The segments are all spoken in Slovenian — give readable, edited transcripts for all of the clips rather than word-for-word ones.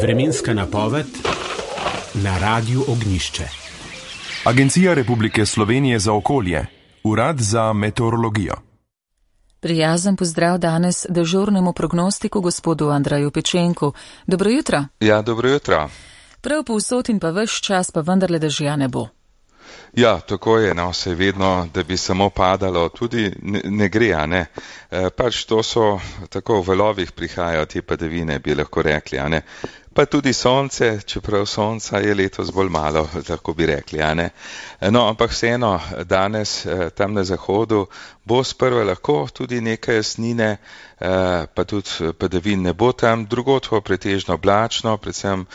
Vremenska napoved na Radiu Ognjišče. Agencija Republike Slovenije za okolje, Urad za meteorologijo. Prijazen pozdrav danes dežurnemu prognostiku gospodu Andreju Pečenku. Dobro jutro. Ja, dobro jutro. Prav povsod in pa ves čas pa vendarle dežja ne bo. Ja, tako je, no, se vedno, da bi samo padalo, tudi ne gre, a ne. Pač to so, tako v valovih prihajajo te padavine, bi lahko rekli, a ne. Pa tudi sonce, čeprav sonca je letos bolj malo, tako bi rekli, a ne. No, ampak vseeno, danes tam na zahodu bo sprva lahko tudi nekaj jasnine, pa tudi padavin ne bo tam, drugod bo pretežno oblačno, predvsem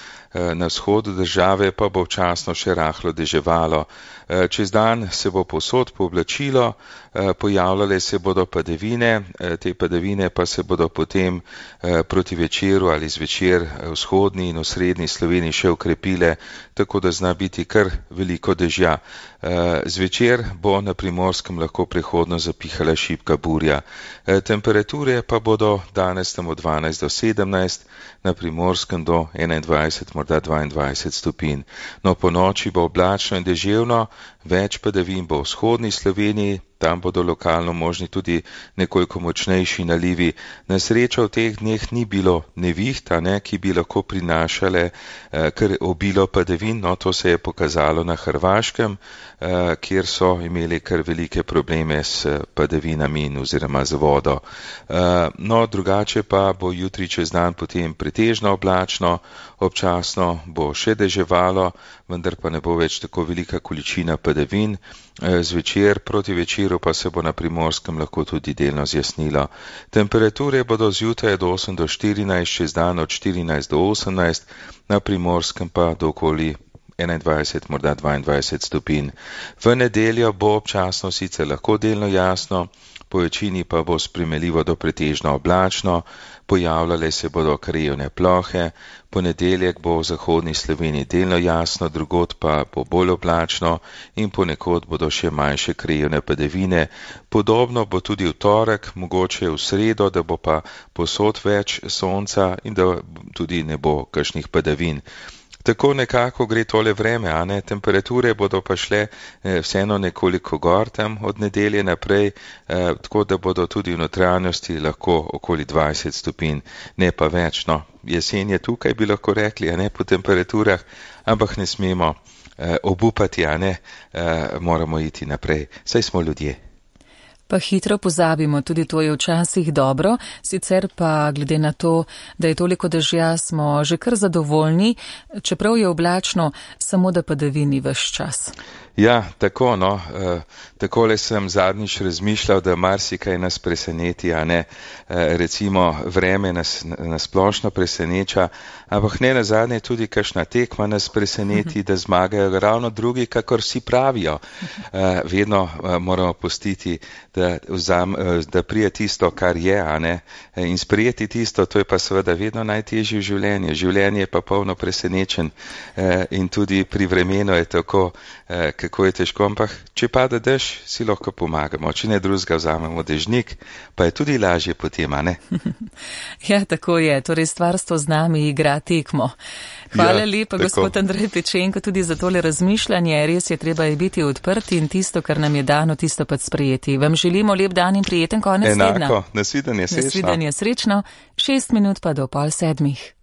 na vzhodu države pa bo včasno še rahlo deževalo. Čez dan se bo povsod pooblačilo, pojavljale se bodo padavine, te padavine pa se bodo potem proti večeru ali zvečer vzhodni in osrednji Sloveniji še ukrepile, tako da zna biti kar veliko dežja. Zvečer bo na Primorskem lahko prehodno zapihala šibka burja. Temperature pa bodo danes tam od 12 do 17, na Primorskem do 21, morda 22 stopinj. No, po noči bo oblačno in deževno, več padavin bo v vzhodni Sloveniji, tam bodo lokalno možni tudi nekoliko močnejši nalivi. Na srečo v teh dneh ni bilo neviht, ki bi lahko prinašale kar obilo padavin, no to se je pokazalo na Hrvaškem, kjer so imeli kar velike probleme s padavinami in oziroma z vodo. No, drugače pa bo jutri čez dan potem pretežno oblačno, občasno bo še deževalo, vendar pa ne bo več tako velika količina padavin. Zvečer proti večeru pa se bo na Primorskem lahko tudi delno zjasnilo. Temperature bodo zjutraj od 8 do 14, čez dan od 14 do 18, na Primorskem pa do okoli 21, morda 22 stopinj. V nedeljo bo občasno sicer lahko delno jasno, po večini pa bo spremenljivo do pretežno oblačno, pojavljale se bodo krajevne plohe, ponedeljek bo v zahodni Sloveniji delno jasno, drugod pa bo bolj oblačno in ponekod bodo še manjše krajevne padavine. Podobno bo tudi v torek, mogoče v sredo, da bo pa povsod več sonca in da tudi ne bo kakšnih padavin. Tako nekako gre tole vreme, a ne, temperature bodo pa šle vseeno nekoliko gor tam od nedelje naprej, tako da bodo tudi v notranjosti lahko okoli 20 stopinj, ne pa več, no. Jesen je tukaj, bi lahko rekli, a ne, po temperaturah, ampak ne smemo obupati, a ne, moramo iti naprej, saj smo ljudje. Pa hitro pozabimo, tudi to je včasih dobro, sicer pa glede na to, da je toliko dežja, smo že kar zadovoljni, čeprav je oblačno, samo da padavini ves čas. Ja, tako, no, takole sem zadnjič razmišljal, da marsikaj nas preseneti, a ne, recimo vreme nas splošno preseneča, ampak ne nazadnje tudi kakšna tekma nas preseneti, da zmagajo ravno drugi, kakor vsi pravijo. Vedno moramo pustiti, da prije tisto, kar je, a ne, in sprejeti tisto, to je pa seveda vedno najtežje v življenju. Življenje je pa polno presenečen in tudi pri vremenu je tako, kako je težko, ampak če pada dež, si lahko pomagamo. Če ne drugega, vzamemo dežnik, pa je tudi lažje potem, a ne? Ja, tako je. Torej stvarstvo z nami igra tekmo. Hvala lepa, gospod Andrej Pečenko, tudi za tole razmišljanje. Res je, treba je biti odprti in tisto, kar nam je dano, tisto pa sprejeti. Vam želimo lep dan in prijeten konec tedna. Enako, nasvidenje, srečno. Nasvidenje, srečno. 6 minut pa do 6:30.